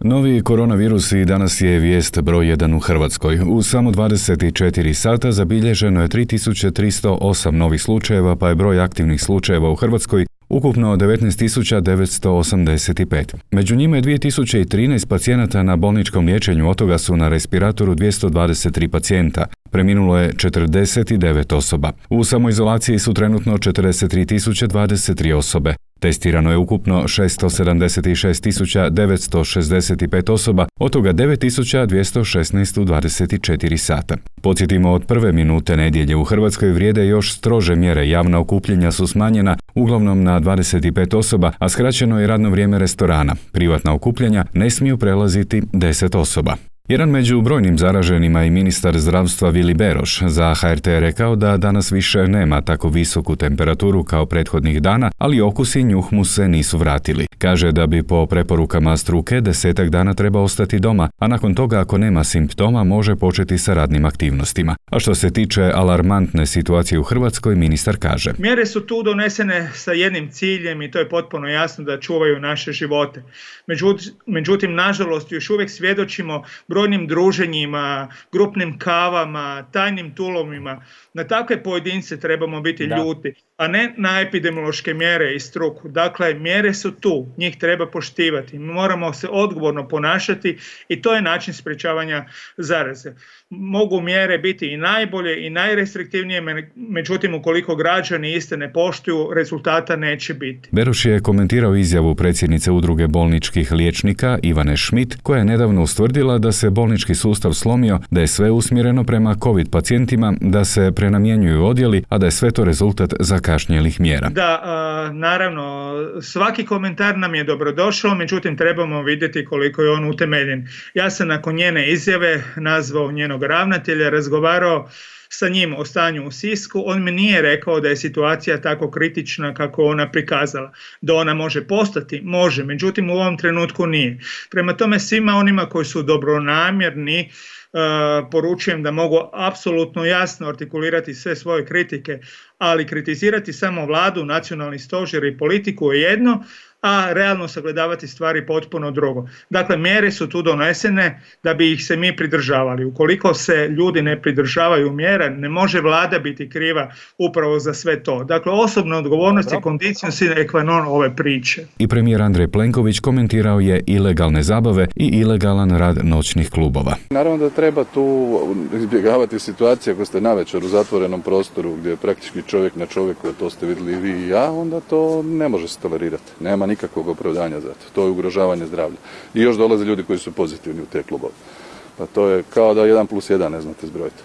Novi koronavirus i danas je vijest broj 1 u Hrvatskoj. U samo 24 sata zabilježeno je 3308 novih slučajeva, pa je broj aktivnih slučajeva u Hrvatskoj ukupno 19.985. Među njima je 2013 pacijenata na bolničkom liječenju, od toga su na respiratoru 223 pacijenta. Preminulo je 49 osoba. U samoizolaciji su trenutno 43.023 osobe. Testirano je ukupno 676.965 osoba, od toga 9.216 u 24 sata. Podsjetimo, od prve minute nedjelje u Hrvatskoj vrijede još strože mjere. Javna okupljanja su smanjena uglavnom na 25 osoba, a skraćeno je radno vrijeme restorana. Privatna okupljanja ne smiju prelaziti 10 osoba. Jedan među brojnim zaraženima i ministar zdravstva Vili Beroš za HRT je rekao da danas više nema tako visoku temperaturu kao prethodnih dana, ali okus i njuh mu se nisu vratili. Kaže da bi po preporukama struke 10 dana treba ostati doma, a nakon toga ako nema simptoma može početi sa radnim aktivnostima. A što se tiče alarmantne situacije u Hrvatskoj, ministar kaže: mjere su tu donesene sa jednim ciljem i to je potpuno jasno, da čuvaju naše živote. Međutim, nažalost, još uvijek svjedočimo brojnim druženjima, grupnim kavama, tajnim tulovima. Na takve pojedince trebamo biti ljuti, a ne na epidemiološke mjere i struku. Dakle, mjere su tu, njih treba poštivati. Mi moramo se odgovorno ponašati i to je način sprječavanja zaraze. Mogu mjere biti i najbolje i najrestriktivnije, međutim, ukoliko građani iste ne poštuju, rezultata neće biti. Beroš je komentirao izjavu predsjednice Udruge bolničkih liječnika Ivane Schmidt, koja je nedavno ustvrdila da se bolnički sustav slomio, da je sve usmjereno prema COVID pacijentima, da se prenamjenjuju odjeli, a da je sve to rezultat zakašnjelih mjera. Da, naravno, svaki komentar nam je dobrodošao, međutim trebamo vidjeti koliko je on utemeljen. Ja sam nakon njene izjave nazvao njenog ravnatelja, razgovarao sa njim o stanju u Sisku. On mi nije rekao da je situacija tako kritična kako ona prikazala. Da ona može postati, može, međutim u ovom trenutku nije. Prema tome, svima onima koji su dobronamjerni poručujem da mogu apsolutno jasno artikulirati sve svoje kritike, ali kritizirati samo vladu, nacionalni stožer i politiku je jedno, a realno sagledavati stvari potpuno drugo. Dakle, mjere su tu donesene da bi ih se mi pridržavali. Ukoliko se ljudi ne pridržavaju mjera, ne može vlada biti kriva upravo za sve to. Dakle, osobna odgovornost je condicio sine qua non ove priče. I premijer Andrej Plenković komentirao je ilegalne zabave i ilegalan rad noćnih klubova. Naravno da treba tu izbjegavati situacije ako ste navečer u zatvorenom prostoru gdje je praktički čovjek na čovjeku, a to ste vidjeli i vi i ja, onda to ne može se tolerirati. Nema nikakvog opravdanja za to. To je ugrožavanje zdravlja. I još dolaze ljudi koji su pozitivni u te klubove. Pa to je kao da 1+1 ne znate zbrojiti.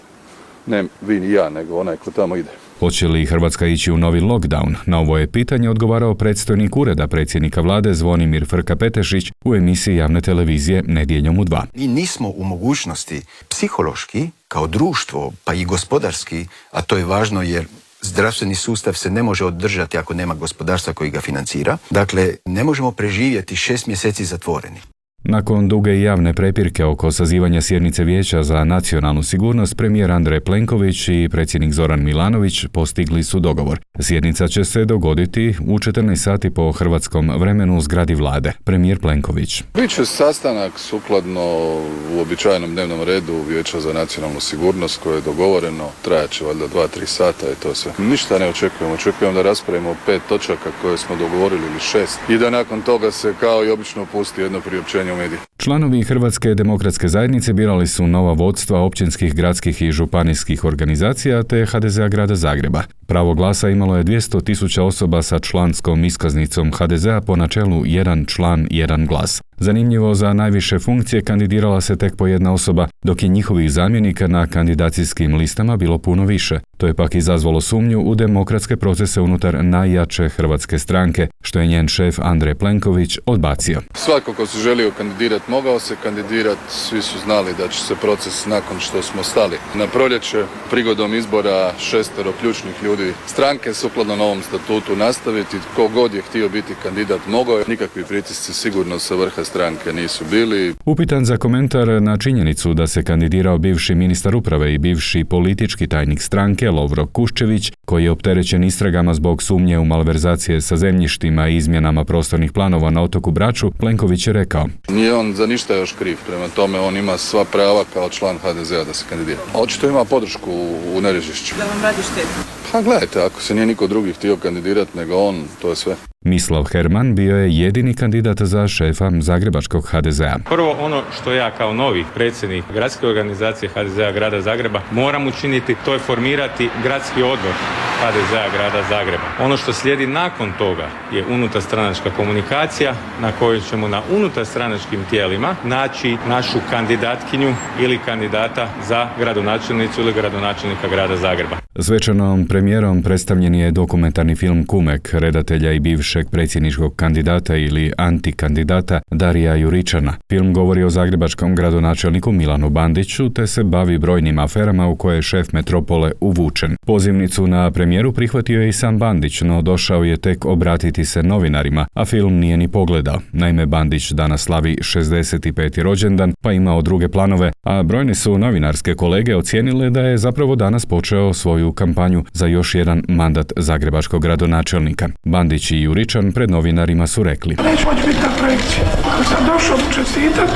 Ne vi ni ja, nego onaj ko tamo ide. Hoće li Hrvatska ići u novi lockdown? Na ovo je pitanje odgovarao predstojnik Ureda predsjednika vlade Zvonimir Frka-Petešić u emisiji javne televizije Nedjeljom u 2. Mi nismo u mogućnosti psihološki, kao društvo, pa i gospodarski, a to je važno jer zdravstveni sustav se ne može održati ako nema gospodarstva koji ga financira. Dakle, ne možemo preživjeti 6 mjeseci zatvoreni. Nakon duge i javne prepirke oko sazivanja sjednice Vijeća za nacionalnu sigurnost, premijer Andrej Plenković i predsjednik Zoran Milanović postigli su dogovor. Sjednica će se dogoditi u 14 sati po hrvatskom vremenu u zgradi vlade. Premijer Plenković: biće sastanak sukladno uobičajenom dnevnom redu Vijeća za nacionalnu sigurnost koje je dogovoreno. Trajaće valjda 2-3 sata i to sve. Ništa ne očekujemo. Očekujemo da raspravimo 5 točaka koje smo dogovorili ili 6 i da nakon toga se kao i obično pusti jedno priopćenje u mediji. Članovi Hrvatske demokratske zajednice birali su nova vodstva općinskih, gradskih i županijskih organizacija te HDZ-a grada Zagreba. Pravo glasa imalo je 200.000 osoba sa članskom iskaznicom HDZ-a po načelu jedan član, jedan glas. Zanimljivo, za najviše funkcije kandidirala se tek po jedna osoba, dok je njihovih zamjenika na kandidacijskim listama bilo puno više. To je pak izazvalo sumnju u demokratske procese unutar najjače hrvatske stranke, što je njen šef Andrej Plenković odbacio. Svako ko se želio kandidirati mogao se kandidirati, svi su znali da će se proces nakon što smo stali na proljeće prigodom izbora 6 ključnih ljudi stranke sukladno novom statutu nastaviti. Ko god je htio biti kandidat mogao je, nikakvi pritisci sigurno sa vrha stranke nisu bili. Upitan za komentar na činjenicu da se kandidirao bivši ministar uprave i bivši politički tajnik stranke Lovro Kuščević, koji je opterećen istragama zbog sumnje u malverzacije sa zemljištima i izmjenama prostornih planova na otoku Braču, Plenković je rekao: nije on za ništa još kriv, prema tome on ima sva prava kao član HDZ-a da se kandidira. Očito ima podršku u Nerežišću. Da vam radi štetu? Pa gledajte, ako se nije niko drugi htio kandidirati nego on, to je sve. Mislav Herman bio je jedini kandidat za šefa zagrebačkog HDZ-a. Prvo, ono što ja kao novi predsjednik gradske organizacije HDZ-a grada Zagreba moram učiniti, to je formirati gradski odbor HDZ-a grada Zagreba. Ono što slijedi nakon toga je unutarstranačka komunikacija na kojoj ćemo na unutarstranačkim tijelima naći našu kandidatkinju ili kandidata za gradonačelnicu ili gradonačelnika grada Zagreba. Svečanom premijerom predstavljen je dokumentarni film Kumek, redatelja i bivšeg predsjedničkog kandidata ili antikandidata Darija Juričana. Film govori o zagrebačkom gradonačelniku Milanu Bandiću te se bavi brojnim aferama u koje je šef metropole uvučen. Pozivnicu na premijeru prihvatio je i sam Bandić, no došao je tek obratiti se novinarima, a film nije ni pogledao. Naime, Bandić danas slavi 65. rođendan, pa imao druge planove, a brojne su novinarske kolege ocijenile da je zapravo danas počeo svoju kampanju za još jedan mandat zagrebačkog gradonačelnika. Bandić i Juričan pred novinarima su rekli: neću moći biti na projekciji. Ako sam došao mu čestitat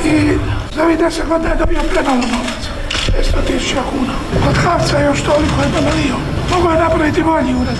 i za ovih 10 godina je dobio premalo novaca. 500.000 kuna. Od Havca još toliko je milion. Mogu je napraviti bolji ured.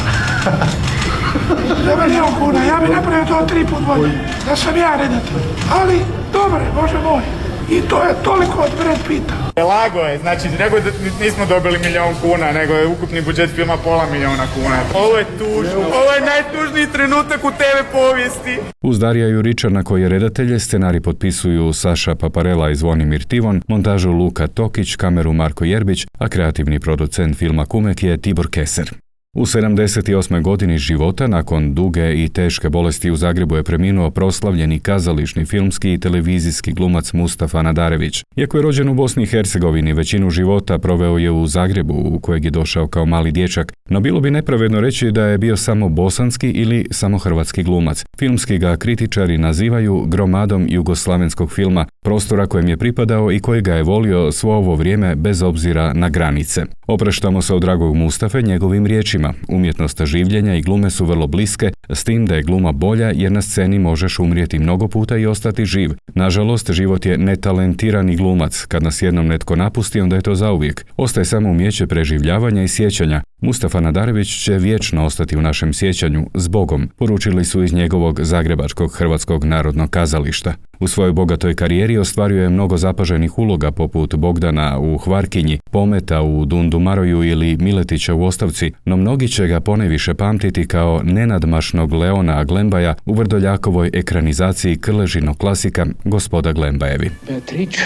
Za milion kuna. Ja bi napravio to 3 put bolje. Da sam ja redatelj. Ali, dobro je, Bože moj. I to je toliko od Brad Pitta. Lago je, znači nego da nismo dobili milion kuna, nego je ukupni budžet filma pola miliona kuna. Ovo je tužno, ovo je najtužniji trenutak u TV povijesti. Uz Darija Juričana koji je redatelj, scenarij potpisuju Saša Paparela i Zvonimir Tivon, montažu Luka Tokić, kameru Marko Jerbić, a kreativni producent filma Kumek je Tibor Keser. U 78. godini života, nakon duge i teške bolesti u Zagrebu je preminuo proslavljeni kazališni, filmski i televizijski glumac Mustafa Nadarević. Iako je rođen u Bosni i Hercegovini, većinu života proveo je u Zagrebu, u kojeg je došao kao mali dječak, no bilo bi nepravedno reći da je bio samo bosanski ili samo hrvatski glumac. Filmski ga kritičari nazivaju gromadom jugoslavenskog filma, prostora kojem je pripadao i koji ga je volio svo ovo vrijeme bez obzira na granice. Opraštamo se od dragog Mustafe njegovim riječima: umjetnost življenja i glume su vrlo bliske, s tim da je gluma bolja jer na sceni možeš umrijeti mnogo puta i ostati živ. Nažalost, život je netalentirani glumac. Kad nas jednom netko napusti, onda je to zauvijek. Ostaje samo umijeće preživljavanja i sjećanja. Mustafa Nadarević će vječno ostati u našem sjećanju, s Bogom, poručili su iz njegovog zagrebačkog Hrvatskog narodnog kazališta. U svojoj bogatoj karijeri ostvario je mnogo zapaženih uloga poput Bogdana u Hvarkinji, Pometa u Dundumaroju ili Miletića u Ostavci, no mnogi će ga ponajviše pamtiti kao nenadmašnog Leona Glembaja u Vrdoljakovoj ekranizaciji Krležinog klasika Gospoda Glembajevi. Beatrice,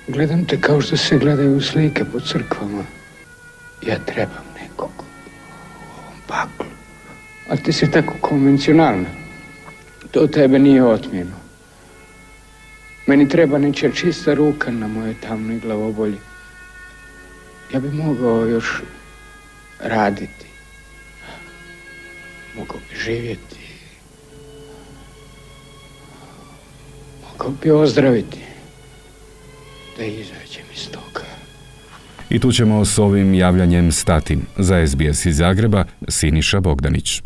gledam te kao što se gledaju slike po crkvama. Ja trebam nekog u ovom paklu. A ti si tako konvencionalna. To tebe nije otmjeno. Meni treba nečija čista ruka na moje tamnoj glavobolji. Ja bi mogao još raditi. Mogao bi živjeti. Mogao bi ozdraviti. Da izađem iz toga. I tu ćemo s ovim javljanjem stati. Za SBS iz Zagreba, Siniša Bogdanić.